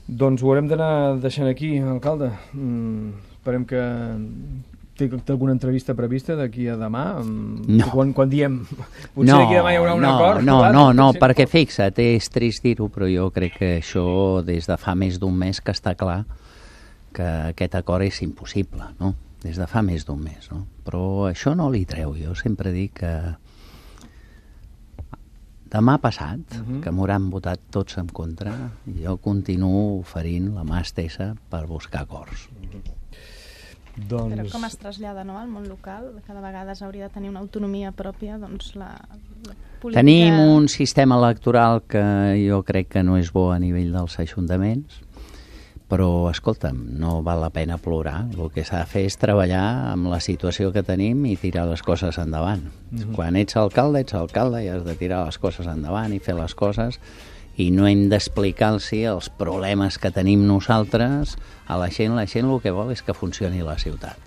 Doncs ho haurem d'anar deixant aquí, alcalde. Esperem que té alguna entrevista prevista d'aquí a demà? No. Quan diem, potser d'aquí a demà hi haurà un acord? No, perquè fixa't, és trist dir-ho, però jo crec que això des de fa més d'un mes que està clar que aquest acord és impossible, no? Des de fa més d'un mes, no? Però això no li treu. Jo sempre dic que demà passat, que m'hauran votat tots en contra, jo continuo oferint la mà estesa per buscar acords. Però com es trasllada, no, al món local? Cada vegada s'hauria de tenir una autonomia pròpia, doncs la política... Tenim un sistema electoral que jo crec que no és bo a nivell dels ajuntaments, però, escolta'm, no val la pena plorar. El que s'ha de fer és treballar amb la situació que tenim i tirar les coses endavant. Quan ets alcalde i has de tirar les coses endavant i fer les coses, i no hem d'explicar-los els problemes que tenim nosaltres a la gent. La gent el que vol és que funcioni la ciutat.